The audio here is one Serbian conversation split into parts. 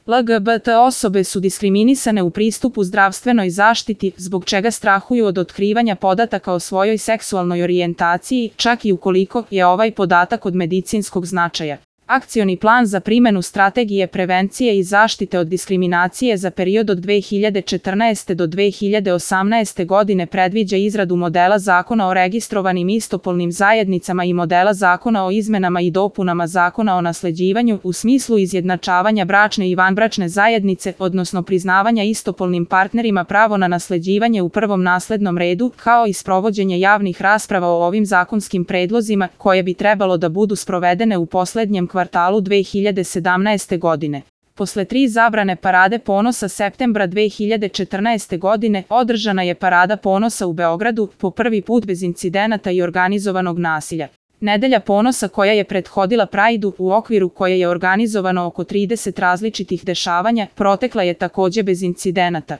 LGBT osobe su diskriminisane u pristupu zdravstvenoj zaštiti, zbog čega strahuju od otkrivanja podataka o svojoj seksualnoj orijentaciji, čak i ukoliko je ovaj podatak od medicinskog značaja. Akcioni plan za primenu strategije prevencije i zaštite od diskriminacije za period od 2014. do 2018. godine predviđa izradu modela zakona o registrovanim istopolnim zajednicama i modela zakona o izmenama i dopunama zakona o nasleđivanju u smislu izjednačavanja bračne i vanbračne zajednice, odnosno priznavanja istopolnim partnerima pravo na nasleđivanje u prvom naslednom redu, kao i sprovođenje javnih rasprava o ovim zakonskim predlozima, koje bi trebalo da budu sprovedene u poslednjem kvartalu 2017. godine. Posle 3 zabrane Parade ponosa septembra 2014. godine, održana je Parada ponosa u Beogradu, po prvi put bez incidenata i organizovanog nasilja. Nedelja ponosa koja je prethodila Prideu, u okviru koje je organizovano oko 30 različitih dešavanja, protekla je takođe bez incidenata.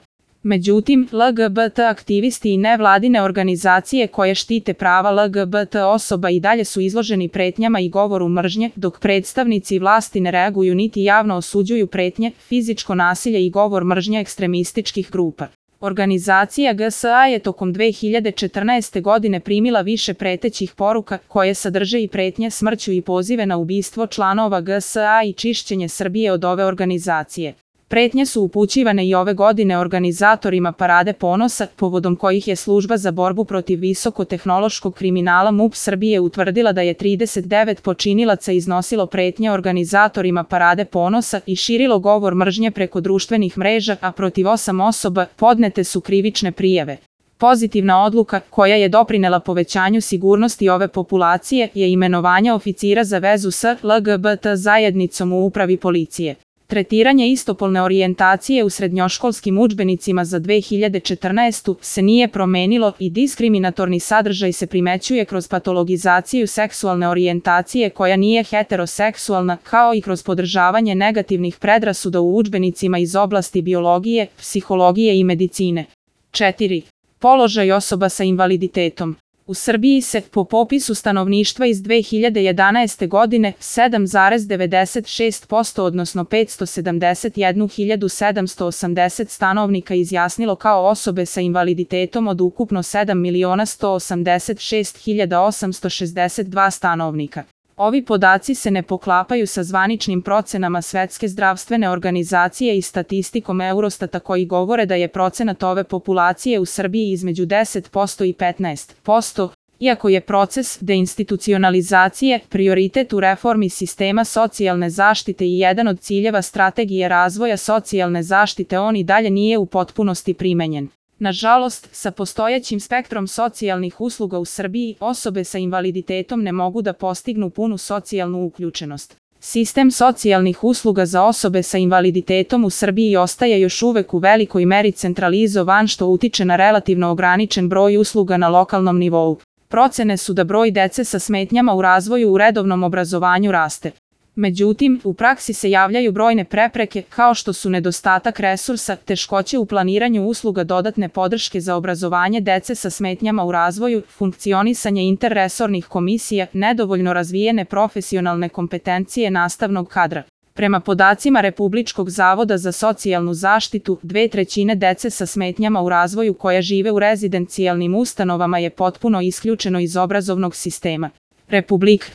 Međutim, LGBT aktivisti i nevladine organizacije koje štite prava LGBT osoba i dalje su izloženi pretnjama i govoru mržnje, dok predstavnici vlasti ne reaguju niti javno osuđuju pretnje, fizičko nasilje i govor mržnje ekstremističkih grupa. Organizacija GSA je tokom 2014. godine primila više pretećih poruka, koje sadrže i pretnje smrću i pozive na ubistvo članova GSA i čišćenje Srbije od ove organizacije. Pretnje su upućivane i ove godine organizatorima Parade ponosa, povodom kojih je Služba za borbu protiv visokotehnološkog kriminala MUP Srbije utvrdila da je 39 počinilaca iznosilo pretnje organizatorima Parade ponosa i širilo govor mržnje preko društvenih mreža, a protiv 8 osoba podnete su krivične prijave. Pozitivna odluka, koja je doprinela povećanju sigurnosti ove populacije, je imenovanje oficira za vezu s LGBT zajednicom u upravi policije. Tretiranje istopolne orijentacije u srednjoškolskim udžbenicima za 2014. se nije promenilo i diskriminatorni sadržaj se primećuje kroz patologizaciju seksualne orijentacije koja nije heteroseksualna, kao i kroz podržavanje negativnih predrasuda u udžbenicima iz oblasti biologije, psihologije i medicine. 4. Položaj osoba sa invaliditetom. U Srbiji se, po popisu stanovništva iz 2011. godine, 7,96% odnosno 571.780 stanovnika izjasnilo kao osobe sa invaliditetom od ukupno 7.186.862 stanovnika. Ovi podaci se ne poklapaju sa zvaničnim procenama Svetske zdravstvene organizacije i statistikom Eurostata koji govore da je procenat ove populacije u Srbiji između 10% i 15%, iako je proces deinstitucionalizacije prioritet u reformi sistema socijalne zaštite i jedan od ciljeva strategije razvoja socijalne zaštite, on i dalje nije u potpunosti primenjen. Nažalost, sa postojećim spektrom socijalnih usluga u Srbiji, osobe sa invaliditetom ne mogu da postignu punu socijalnu uključenost. Sistem socijalnih usluga za osobe sa invaliditetom u Srbiji ostaje još uvek u velikoj meri centralizovan, što utiče na relativno ograničen broj usluga na lokalnom nivou. Procene su da broj dece sa smetnjama u razvoju u redovnom obrazovanju raste. Međutim, u praksi se javljaju brojne prepreke, kao što su nedostatak resursa, teškoće u planiranju usluga dodatne podrške za obrazovanje dece sa smetnjama u razvoju, funkcionisanje interresornih komisija, nedovoljno razvijene profesionalne kompetencije nastavnog kadra. Prema podacima Republičkog zavoda za socijalnu zaštitu, 2/3 dece sa smetnjama u razvoju koja žive u rezidencijalnim ustanovama je potpuno isključeno iz obrazovnog sistema. Republika